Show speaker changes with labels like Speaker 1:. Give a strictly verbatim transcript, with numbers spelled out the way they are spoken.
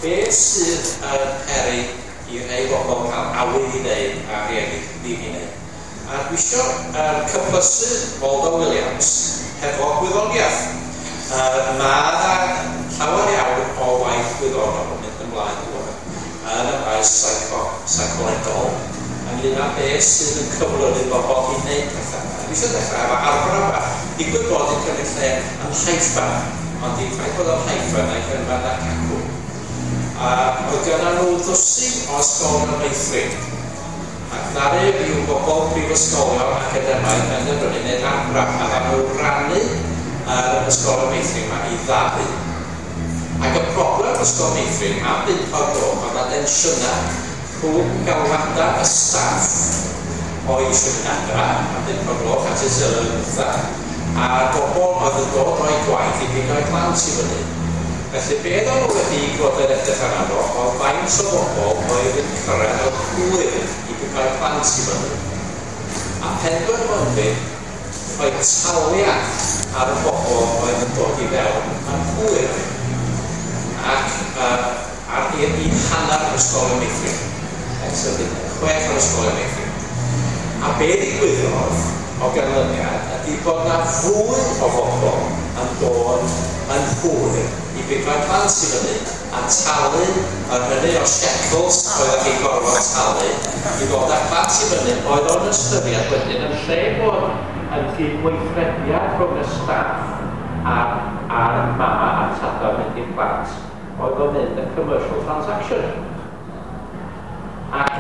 Speaker 1: Beth sydd yn peri i rhai bobl cael awydd i wneud a rhieni ddim i wneud? A dwi isio um, cyplysu Waldo Williams hefo gwyddoniaeth. Uh, mae yna llawer iawn o waith gwyddonol yn mynd ymlaen rŵan yn y maes psycho, psycholegol ynglyn â beth sydd yn cyflyru bobl i wneud pethau. A dwi eisiau dechrau efo arbrawf bach. Digwydd bod yn cymryd lle yn Haifa, ond dim ffaith bod o'n Haifa na'i cynfad na cacw. A oedd gyda nhw ddwsin o ysgolion meithrin. Ac ddaru ryw bobl prifysgolion academaidd benderfynu wneud arbrawf a ddaru nhw rannu yr ysgolion meithrin yma i ddau. Ac y broblem ysgol meithrin am bump o'r gloch oedd na densiynau rhwng galwadau y staff oedd eisiau mynd adra am bump o'r gloch at ei teuluoedd nhwtha a'r bobl oedd yn dod o'i gwaith i bigo'u plant i fyny. Felly be oedden nhw wedi bod yn edrych arno fo oedd faint o bobl oedd yn cyrraedd o'r hwyr i bigo'u plant i fyny. A penderfynu rhoi taliad ar y bobl oedd yn dod i fewn yn hwyr ac uh, ar i, i hanner yr ysgolion meithrin. So, chwech o'r ysgolion meithrin. A be ddigwyddodd o ganlyniad ydy bod na fwy o bobl yn dod yn hwyr i bigo'u plant i fyny a talu yr hynny o shekels oeddech chi'n gorfod talu i ddod â plant i fyny oedd o'n ystyried wedyn yn lle bod yn gydweithrediad rhwng y staff a'r, a'r mama a'r tata mynd i'r plant oedd o'n mynd yn commercial transaction. Ac